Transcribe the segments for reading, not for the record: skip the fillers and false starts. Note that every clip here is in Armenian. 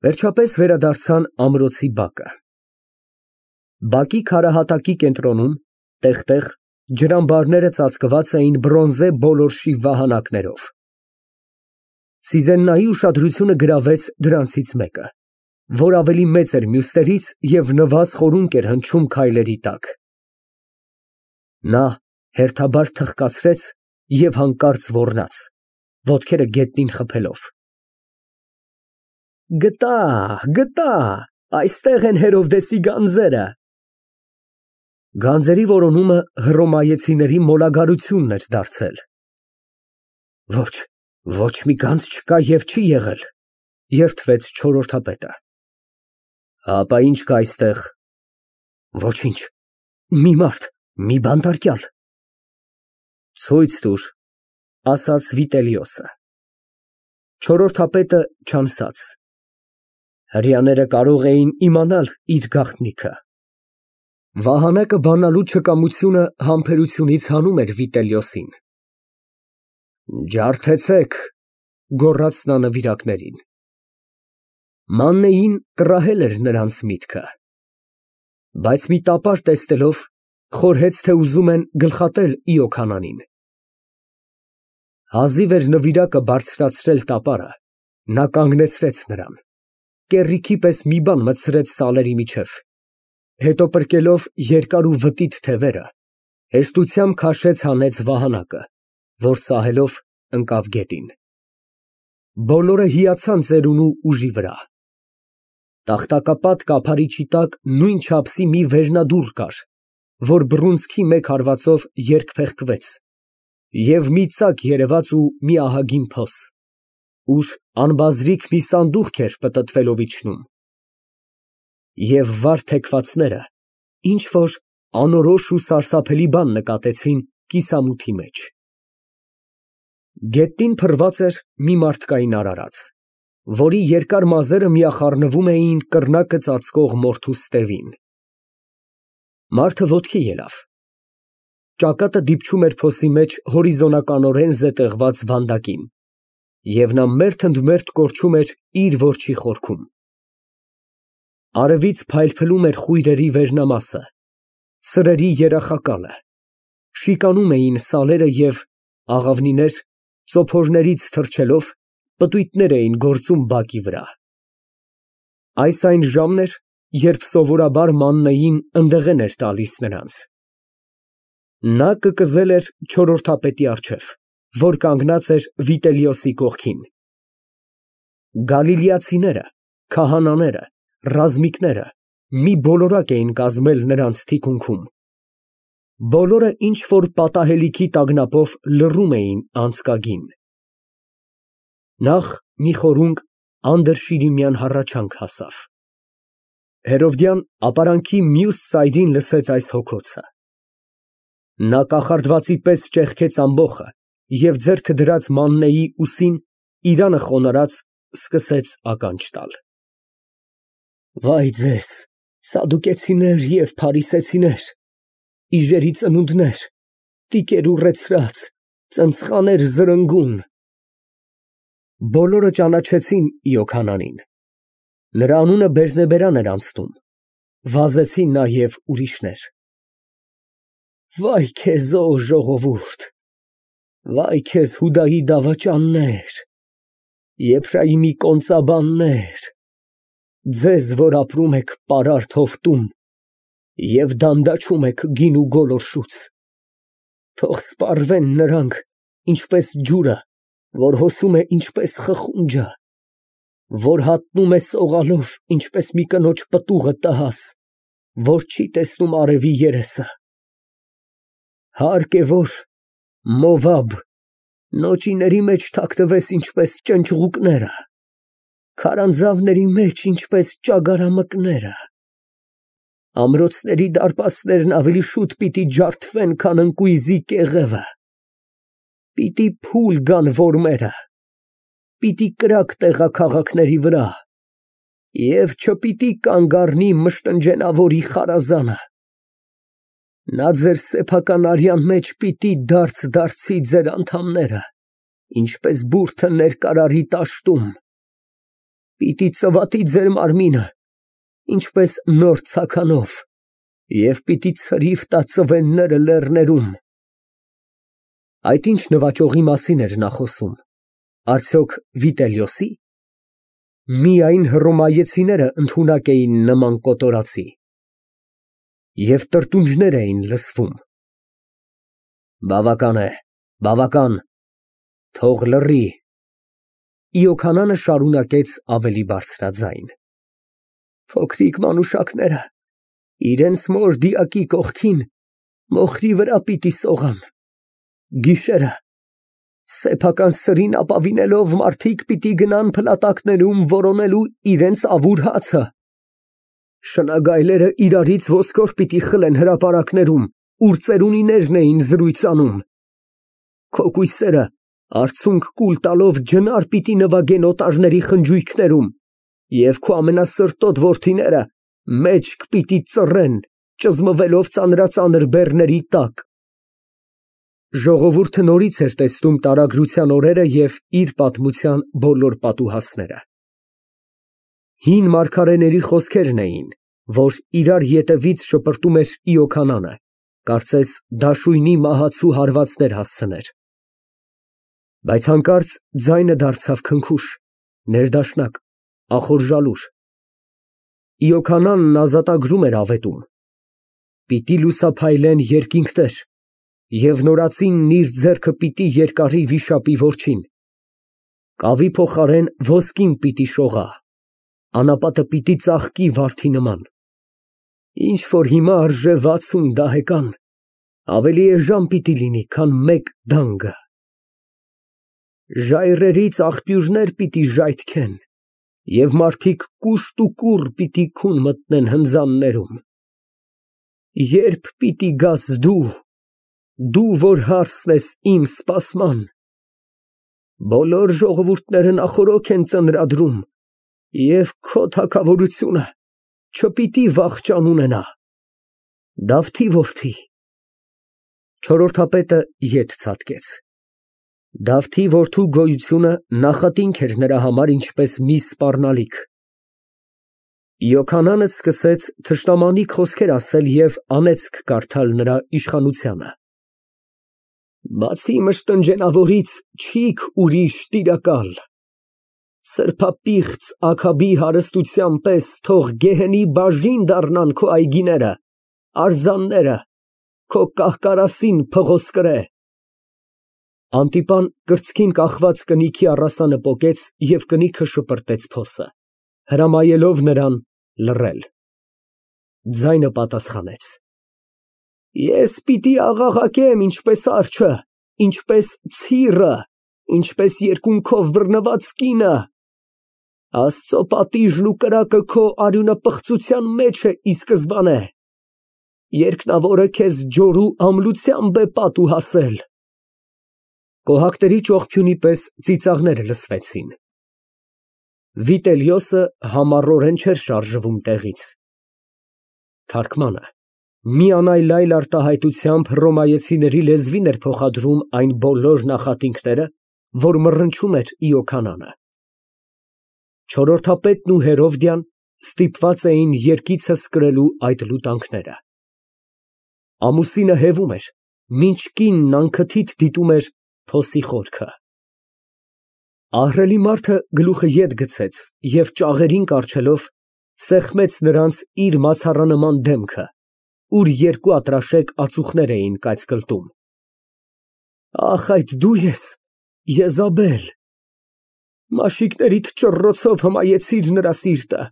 Վերջապես վերադարձան ամրոցի բակը։ Բակի քարահատակի կենտրոնում տեղ֊տեղ ջրամբարները ծածկված էին բրոնզե բոլորշի վահանակներով։ Սիզեննայի ուշադրությունը գրավեց դրանցից մեկը, որ ավելի մեծ էր մյուսներից և նվազ խորունկ էր հնչում քայլերի տակ։ Նա հերթաբար թխկացրեց և հանկարծ ոռնաց, ոտքերը գետնին խփելով։ Գտա, այստեղ են Հերովդեսի գանձերը։ Գանձերի որոնումը հռոմայեցիների մոլագարությունն էր դարձել։ Ոչ մի գանձ չկա և չի եղել, երդվեց չորրորդապետը։ Հապա ի՞նչ կա այստեղ։ Ոչինչ, մի մարդ, մի բանտարկյալ։ Ցույց տուր, ասաց Վիտելիոսը։ Չորրորդապետը չանցած։ Հրեաները կարող էին իմանալ իր գաղտնիքը։ Վահանակը բանալու չկամությունը համբերությունից հանում էր Վիտելիոսին։ Ջարդեցեք, գոռաց նա նվիրակներին։ Մաննեին կռահել էր նրանց միտքը, բայց մի տապար տեսնելով, խորհեց, թե ուզում են գլխատել Իոքանանին։ Հազիվ էր նվիրակը բարձրացրել տապարը, նա կանգնեցրեց նրան, կեռիքի պես մի բան մտցրեց սալերի միջև, հետո պրկելով երկար ու վտիտ թևերը, հեշտությամբ քաշեց հանեց վահանակը, որ սահելով ընկավ գետին։ Բոլորը հիացան ծերունու ուժի վրա։ Տախտակապատ կափարիչի տակ նույն չափսի մի վերնադուռ կար, որ բռունցքի մեկ հարվածով երկփեղկվեց, և մի ծակ երևաց ու մի ահագին փոս, ուր անբազրիկ մի սանդուղք էր պտտվելով իջնում։ Եվ վար թեքվածները ինչ֊որ անորոշ ու սարսափելի բան նկատեցին կիսամութի մեջ։ Գետնին փռված էր մի մարդկային արարած, որի երկար մազերը միախառնվում էին կռնակը ծածկող մորթու ստևին։ Մարդը ոտքի ելավ։ Ճակատը դիպչում էր փոսի մեջ հորիզոնականորեն զետեղված վանդակին, և նա մերթ ընդ մերթ կորչում էր իր որջի խորքում։ Արևից փայլփլում էր խույրերի վերնամասը, սրերի երախակալը, շիկանում էին սալերը և աղավնիներ, ծոփորներից թռչելով, պտույտներ էին գործում բակի վրա։ Այս այն ժամն էր, երբ սովորաբար Մաննեին ընդեղեն էր տալիս նրանց։ Նա կկզել էր չորրորդապետի առջև, որ կանգնած էր Վիտելիոսի կողքին։ Գալիլեացիները, քահանաները, ռազմիկները մի բոլորակ էին կազմել նրանց թիկունքում։ Բոլորը ինչ֊որ պատահելիքի տագնապով լռում էին անցկագին։ Նախ մի խորունկ անդրշիրիմյան հառաչանք հասավ։ Հերովդյան ապարանքի մյուս ծայրին լսեց այս հոգոցը։ Նա կախարդվածի պես ճեղքեց ամբոխը և ձեռքը դրած Մաննեի ուսին, իրանը խոնարհած, սկսեց ականջ տալ։ Վայ ձեզ, սադուկեցիներ և փարիսեցիներ, իժերի ծնունդներ, տիկեր ուռեցրած, ծնցղաներ զրնգուն։ Բոլորը ճանաչեցին Իոքանանին։ Նրա անունը բերնեբերան էր անցնում, վազեցին նաև ուրիշներ։ Վայ քեզ, ո ժողովուրդ, վայ քեզ Հուդայի դավաճաններ, Եփրայիմի կոնծաբաններ, ձեզ, որ ապրում եք պարարտ հովտում և դանդաղում եք գին ու գոլորշուց, թող սպառվեն նրանք, ինչպես ջուրը, որ հոսում է ինչպես խխունջը, որ հատնում է սողալով, ինչպես մի կնոջ պտուղը տհաս, որ չի տեսնում արևի երեսը։ Հարկ է, որ Մովաբ, նոճիների մեջ թաքնվես ինչպես ճնճղուկները, քարանձավների մեջ ինչպես ճագարամկները։ Ամրոցների դարպասներն ավելի շուտ պիտի ջարդվեն, քան ընկույզի կեղևը, պիտի փուլ գան որմերը, պիտի կրակ տեղաքաղաքների վրա, և չպիտի կանգ առնի մշտնջենավորի խարազանը։ Նա ձեր սեփական արյան մեջ պիտի դարձ դարձի ձեր անդամները, ինչպես բուրդը ներկարարի տաշտում։ Պիտի ծվատի ձեր մարմինը, ինչպես նոր ցականով, և պիտի ցրիվ տա ծվենները լեռներում։ Այդ ինչ նվաճողի մասին էր նա խոսում, արդյոք Վիտելիոսի՞։ Միայն հռոմայեցիները ընդունակ էին նման կոտորածի, և տրտունջներ էին լսվում։ Բավական է, բավական, թող լռի։ Իոքանանը շարունակեց ավելի բարձրաձայն. Փոքրիկ մանուշակները իրենց մոր դիակի կողքին մոխրի վրա պիտի սողան։ Գիշերը սեփական սրին ապավինելով մարդիկ պիտի գնան փլատակներում որոնելու իրենց ավուր հացը։ Շնագայլերը իրարից ոսկոր պիտի խլեն հրապարակներում, ուր ծերունիներն էին զրույց անում։ Քո կույսերը արցունք կուլ տալով ջնար պիտի նվագեն օտարների խնջույքներում, և քո ամենասրտոտ որդիները մեջք պիտի ծռեն, ճզմվելով ծանրածանր բեռների տակ։ Ժողովուրդը նորից էր տեսնում տարագրության օրերը և իր պատմության բոլոր պատուհասները։ Հին մարգարեների խոսքերն էին, որ իրար ետևից շպրտում էր Իոքանանը, կարծես դաշույնի մահացու հարվածներ հասցներ։ Բայց հանկարծ ձայնը դարձավ քնքուշ, ներդաշնակ, ախորժալուր։ Իոքանանն ազատագրում էր ավետում. պիտի լուսափայլեն երկինքներ, և նորածինն իր ձեռքը պիտի երկարի վիշապի որջին, կավի փոխարեն ոսկին պիտի շողա, անապատը պիտի ծաղկի վարդի նման։ Ինչ որ հիմա արժե 60 դահեկան, ավելի էժան պիտի լինի, քան մեկ դանգը։ Ժայռերից աղբյուրներ պիտի ժայթքեն, և մարդիկ կուշտ ու կուռ պիտի քուն մտնեն հնձաններում։ Երբ պիտի գաս դու, որ հարսն ես իմ սպասման։ Բոլոր ժողովուրդները նախօրոք են ծնրադրում, և քո թագավորությունը չպիտի վախճան ունենա։ Դավթի որդի։ Չորրորդապետը ետ ցատկեց։ Դավթի որդու գոյությունը նախատինք էր նրա համար ինչպես մի սպառնալիք։ Իոքանանը սկսեց թշնամանիք խոսքեր ասել և անեծք կարդալ նրա իշխանությանը։ Բացի մշտնջենավորից չիք ուրիշ տիրակալ։ Սրբապիղծ Աքաբի հարստության պես թող գեհենի բաժին դառնան քո այգիները, արձանները, քո կահկարասին փղոսկրե։ Անտիպան կրծքին կախված կնիքի առասանը պոկեց և կնիքը շպրտեց փոսը, հրամայելով նրան լռել։ Ձայնը պատասխանեց. Ես պիտի աղաղակեմ ինչպես արջը, ինչպես ցիռը, ինչպես երկունքով բռնված կինը։ Աստծո պատիժն ու կրակը քո արյունապղծության մեջ է ի սկզբանե։ Երկնավորը քեզ ջորու ամլությամբ է պատուհասել։ Կոհակների ճողփյունի պես ծիծաղները լսվեցին։ Վիտելիոսը համառորեն չէր շարժվում տեղից։ Թարգմանը միանայլ արտահայտությամբ հռոմայեցիների լեզվին էր փոխադրում այն բոլոր նախատինքները, որ մռնչում էր Իոքանանը։ Չորրորդապետն ու Հերովդյան ստիպված էին երկիցս կրելու այդ լուտանքները։ Ամուսինը հևում էր, մինչ կինն անքթիթ դիտում էր փոսի խորքը։ Ահռելի մարդը գլուխը ետ գցեց և ճաղերին կառչելով սեղմեց նրանց իր մացառանման դեմքը, ուր երկու ատրաշեք ածուխներ էին կայծկլտում։ Ախ, այդ դու ես, Եզաբել, մաշիկներիդ ճռռոցով հմայեցիր նրա սիրտը։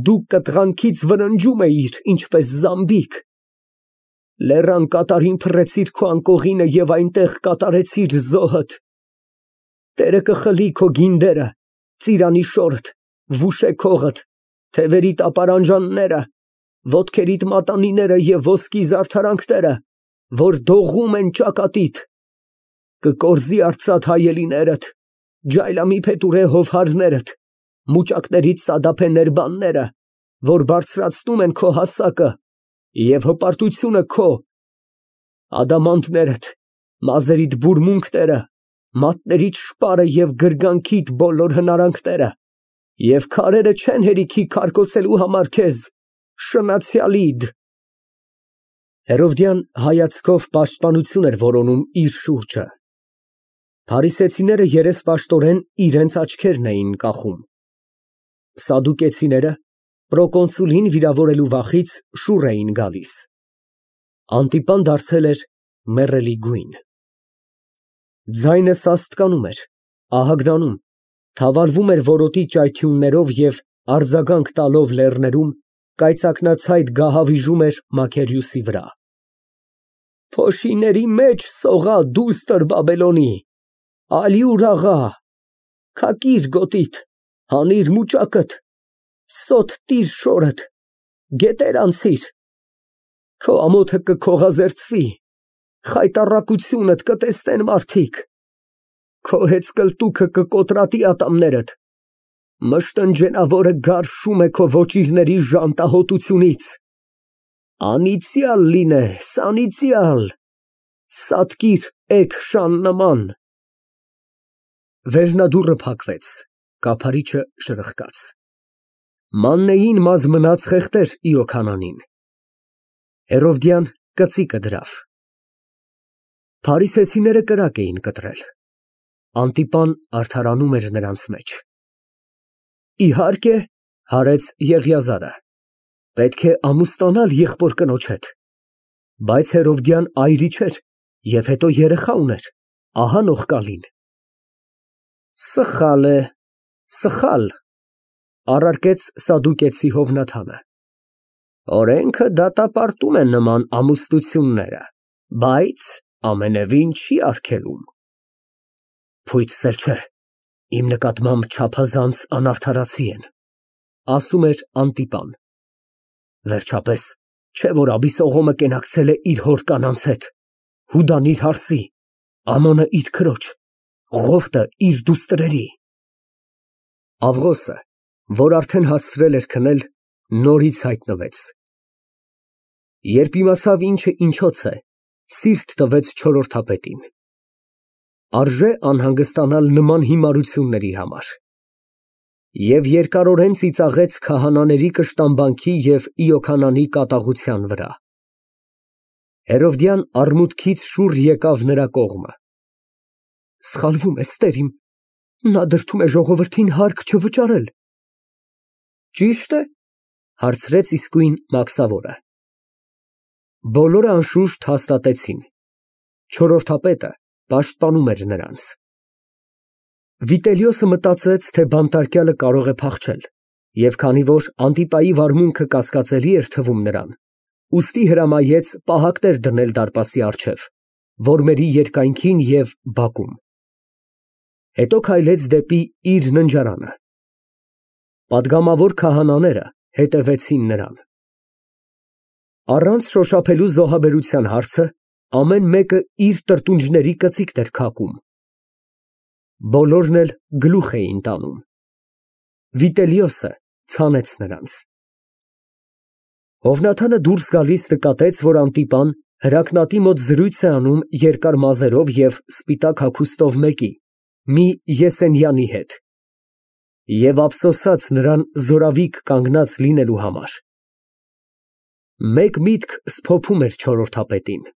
Դու կտղանքից վրնջում էիր, ինչպես զամբիկ։ Լեռան կատարին փռեցիր քո անկողինը և այնտեղ կատարեցիր զոհդ։ Տերը կխլի քո գինդերը, ծիրանի շորդ, վուշե քողդ, թևերի տապարանջանները, ոտքերիդ մատանիները և ոսկի զարդարանքները, որ դողում են ճակատիդ։ Կկորզի արծաթ հայելիներդ, ջայլամի փետուրե հովհարներդ, մուճակներից սադափե ներբանները, որ բարձրացնում են քո հասակը, և հպարտությունը քո, ադամանդներդ, մազերիդ բուրմունքները, մատներիդ շպարը և գրգանքիդ բոլոր հնարանքները, Եվ քարերը չեն հերիքի քարկոծելու համար քեզ, շնացյալիդ։ Հերովդյան հայացքով պաշտպանություն էր որոնում իր շուրջը։ Փարիսեցիները երեսպաշտորեն իրենց աչքերն էին կախում։ Սադուկեցիները պրոկոնսուլին վիրավորելու վախից շուռ էին գալիս։ Անտիպան դարձել էր մեռելի գույն։ Ձայնը սաստկանում էր, ահագնանում, թավալվում էր որոտի ճայթյուններով և արձագանք տալով լեռներում, կայծակնացայդ գահավիժում էր Մաքերյոսի վրա։ Փոշիների մեջ սողա դուստր Բաբելոնի, Ալիուր աղա, քակիր գոտիդ, հանիր մուճակդ, սոթ տիր շորդ, գետեր անցիր, քո ամոթը կքողազերծվի, խայտառակությունդ կտեսնեն մարդիկ, քո հեծկլտուքը կկոտրատի ատամներդ, մշտնջենավորը գարշում է քո ոճիրների ժանտահոտությունից, անիծյալ լինես, անիծյալ, սատկիր էգ նման։ Վերնադուռը փակվեց, կափարիչը շրխկաց։ Մաննեին մազ մնաց խեղդեր Իոքանանին։ Հերովդյան կծիկը դրավ։ Փարիսեցիները կրակ էին կտրել։ Անտիպան արդարանում էր նրանց մեջ։ Իհարկե, հարեց Եղիազարը, պետք է ամուսնանալ եղբոր կնոջ հետ, բայց Հերովդյան այրի չէր և հետո երեխա ուներ, ահա նողկալին։ Սխալ է, սխալ, առարկեց Սադուկեցի Հովնաթանը։ Օրենքը դատապարտում է նման ամուսնությունները, բայց ամենևին չի արգելում։ Փույթ չէ, իմ նկատմամբ չափազանց անարդարացի են, ասում էր Անտիպան։ Վերջապես, չէ որ Աբիսողոմը կենակցել է իր հոր կանանց հետ, Հուդան իր հարսի, Ամոնը իր քրոջ, Ղովտը իր դուստրերի։ Ավղոսը, որ արդեն հասցրել էր քնել, նորից հայտնվեց։ Երբ իմացավ ինչը ինչոց է, սիրտ տվեց չորրորդապետին։ Արժե անհանգստանալ նման հիմարությունների համար։ Եվ երկարորեն ծիծաղեց քահանաների կշտամբանքի և Իոքանանի կատաղության վրա։ Հերովդյան արմունկից շուռ եկավ նրա կողմը։ Սխալվում ես, տերիմ, նա դրդում է ժողովրդին հարկ չվճարել։ Ճի՞շտ է, հարցրեց իսկույն Մաքսավորը։ Բոլորը անշուշտ հաստատեցին։ Չորրորդապետը պաշտպանում էր նրանց։ Վիտելիոսը մտածեց, թե բանտարկյալը կարող է փախչել, և քանի որ Անտիպայի վարմունքը կասկածելի էր թվում նրան, ուստի հրամայեց պահակներ դնել դարպասի առջև, որմերի երկայնքին և բակում։ Հետո քայլեց դեպի իր ննջարանը։ Պատգամավոր քահանաները հետևեցին նրան։ Առանց շոշափելու զոհաբերության հարցը ամեն մեկը իր տրտունջների կծիկն էր քակում։ Բոլորն էլ գլուխ էին տանում։ Վիտելիոսը ցանեց նրանց։ Հովնաթանը դուրս գալիս նկատեց, որ Անտիպան հրակնատի մոտ զրույց է անում երկար մազերով և սպիտակ հագուստով մեկի, մի Եսենյանի հետ, և ափսոսաց նրան զորավիք կանգնած լինելու համար։ Մեկ միտք սփոփում էր չորրորդապետին։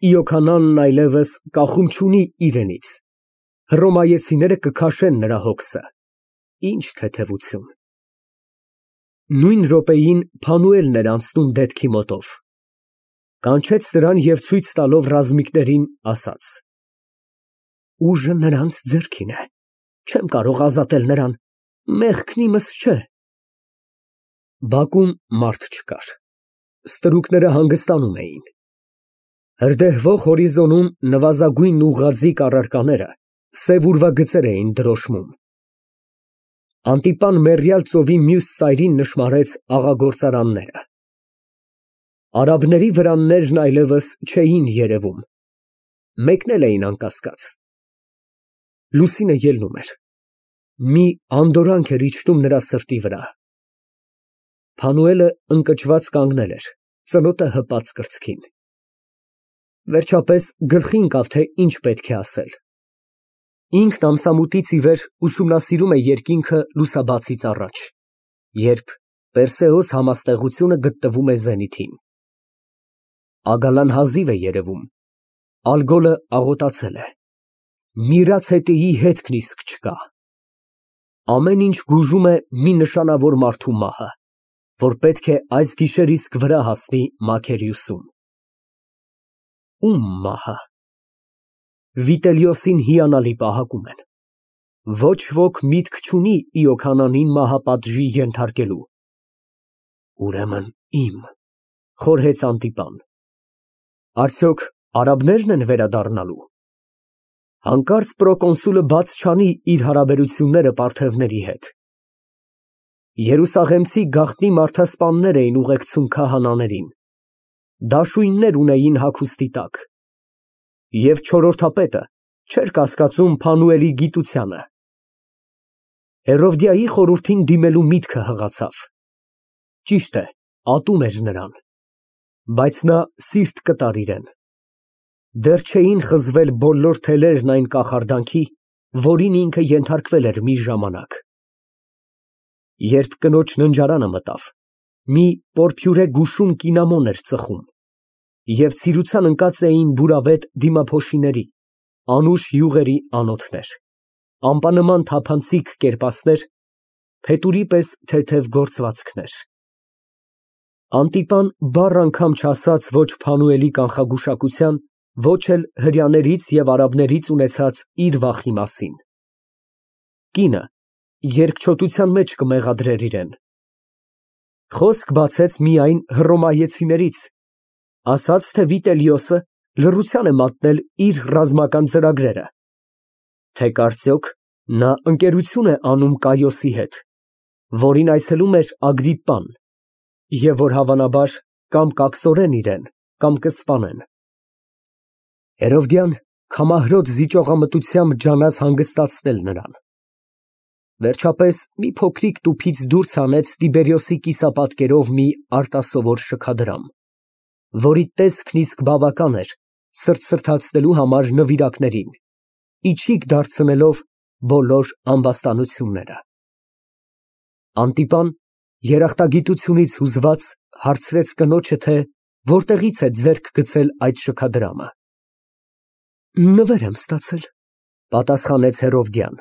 Իոքանանն այլևս կախում չունի իրենից, հռոմայեցիները կքաշեն նրա հոգսը, ինչ թեթևություն։ Նույն րոպեին Փանուելն էր անցնում դետքի մոտով, կանչեց նրան և ցույց տալով ռազմիկներին ասաց. Ուժը նրանց ձեռքին է, չեմ կարող ազատել նրան, մեղքն իմս չէ։ Բակում մարդ չկար, ստրուկները հանգստանում էին։ Հրդեհվող հորիզոնում նվազագույն ուղղաձիգ առարկաները սև ուրվագծեր էին դրոշմում։ Անտիպան մեռյալ ծովի մյուս ծայրին նշմարեց աղագործարանները։ Արաբների վրաններն այլևս չէին երևում, մեկնել էին անկասկած։ Լուսինը ելնում էր, մի անդորանք էր իջնում նրա սրտի վրա։ Փանուելը ընկճված կանգնել էր, ծնոտը հպած կրծքին։ Վերջապես գլխի ընկավ, թե ինչ պետք է ասել։ Ինքն ամսամուտից ի վեր ուսումնասիրում է երկինքը լուսաբացից առաջ, երբ Պերսեոս համաստեղությունը գտնվում է զենիթին։ Ագալան հազիվ է երևում, ալգոլը աղոտացել է, միրած հետեի հետքն իսկ չկա։ Ամեն ինչ գուժում է մի նշանավոր մարդու մահը, որ պետք է այս գիշեր իսկ վրա հասնի Մաքերիուսում։ Ո՞ւմ մահը։ Վիտելիոսին հիանալի պահակում են։ Ոչ ոք միտք չունի Իոքանանին մահապատժի ենթարկելու։ Ուրեմն իմ, խորհեց Անտիպան։ Արդյոք արաբնե՞րն են վերադառնալու։ Հանկարծ պրոկոնսուլը բաց չանի իր հարաբերությունները պարթևների հետ։ Երուսաղեմցի գաղտնի մարդասպաններ էին ուղեկցում քահանաներին, դաշույններ ունեին հագուստի տակ, և չորրորդապետը չէր կասկածում Փանուելի գիտությանը։ Հերովդիայի խորհրդին դիմելու միտքը հղացավ։ Ճիշտ է, ատում էր նրան, բայց նա սիրտ կտար իրեն։ Դեռ չէին խզվել բոլոր թելերն այն կախարդանքի, որին ինքը ենթարկվել էր մի ժամանակ։ Երբ կնոջ ննջարանը մտավ, մի պորփյուրե գուշուն կինամոն էր ծխում, և ցիրուցան ընկած էին բուրավետ դիմափոշիների, անուշ յուղերի անոթներ, ամպանման թափանցիկ կերպասներ, փետուրի պես թեթև գործվածքներ։ Անտիպան բառ անգամ չասաց ոչ Փանուելի կանխագուշակության, ոչ էլ հրեաներից և արաբներից ունեցած իր վախի մասին։ Կինը երկչոտության մեջ կմեղադրեր իրեն։ Խոսք բացեց միայն հռոմայեցիներից, ասաց, թե Վիտելիոսը լռության է մատնել իր ռազմական ծրագրերը, թե կարծոք նա ընկերություն է անում Կայոսի հետ, որին այցելում էր Ագրիպպան, և որ հավանաբար կամ կակսորեն իրեն, կամ կսպանեն։ Հերովդիան քամահրոտ զիջողամտությամբ ջանաց հանգստացնել նրան։ Վերջապես մի փոքրիկ տուփից դուրս հանեց Տիբերիոսի կիսապատկերով մի արտասովոր շքադրամ, որի տեսքն իսկ բավական էր սրտսրտացնելու համար նվիրակներին, իչիք դարձնելով բոլոր ամբաստանությունները։ Անտիպան երախտագիտությունից հուզված հարցրեց կնոջը, թե որտեղից է ձեռք գցել այդ շքադրամը։ Նվեր եմ ստացել, պատասխանեց Հերովդիան։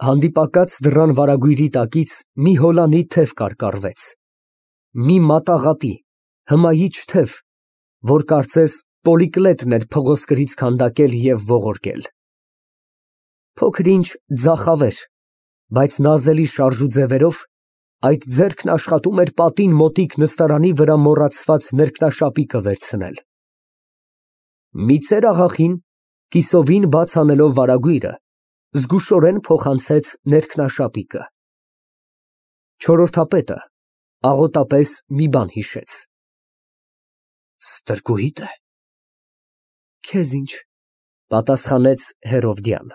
Հանդիպակաց դռան վարագույրի տակից մի հոլանի թև կարկառվեց, մի մատաղատի, հմայիչ թև, որ կարծես Պոլիկլետն էր փղոսկրից քանդակել և ողորկել։ Փոքր ինչ ձախավեր, բայց նազելի շարժ ու ձևերով այդ ձեռքն աշխատում էր պատին մոտիկ նստարանի վրա մոռացված ներքնաշապիկը վերցնել։ Մի ծեր աղախին, կիսովին բաց անելով վարագույրը, զգուշորեն փոխանցեց ներքնաշապիկը։ Չորրորդապետը աղոտապես մի բան հիշեց։ Ստրկուհի՞դ է։ Քեզ ինչ, պատասխանեց Հերովդիան։